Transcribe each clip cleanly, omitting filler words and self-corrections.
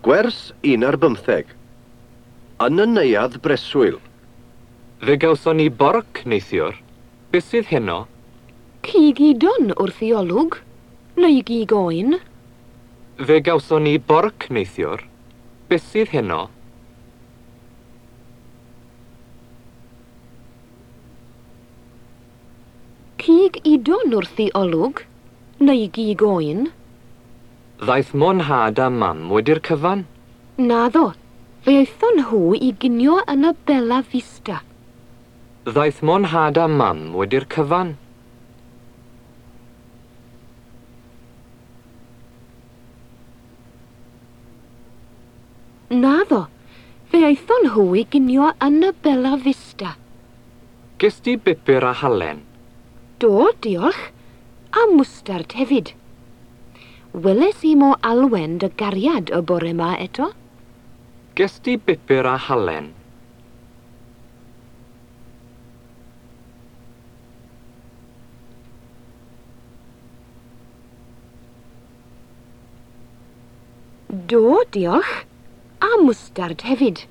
Gwers un ar bymtheg. Yn y neuadd breswyl. Fe gawson ni borc neithiwr. Beth sydd heno? Cig udon wrth i olwg, neu gig oen. Fe gawson ni borc neithiwr. Beth sydd heno? Cig udon wrth i olwg, neu gig oen. Ddaeth mo 'nhad a mam wedi'r cyfan. Naddo, fe aethon nhw i ginio yn y Bella Vista. Ddaeth mo 'nhad a mam wedi'r cyfan. Naddo, fe aethon nhw i ginio yn y Bella Vista. Ges di bupur a halen? Do, diolch. A mwstard hefyd. Weles i mo Alwen dy gariad y bore 'ma eto. Ges di bupur a halen? Do, diolch. A mwstard hefyd.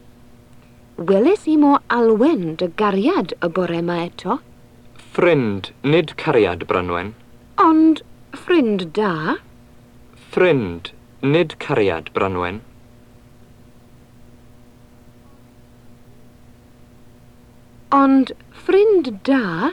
Weles i mo Alwen dy gariad y bore 'ma eto. Ffrind, nid cariad, Branwen. Ond ffrind da. Ffrind, nid cariad, Branwen. Ond ffrind da.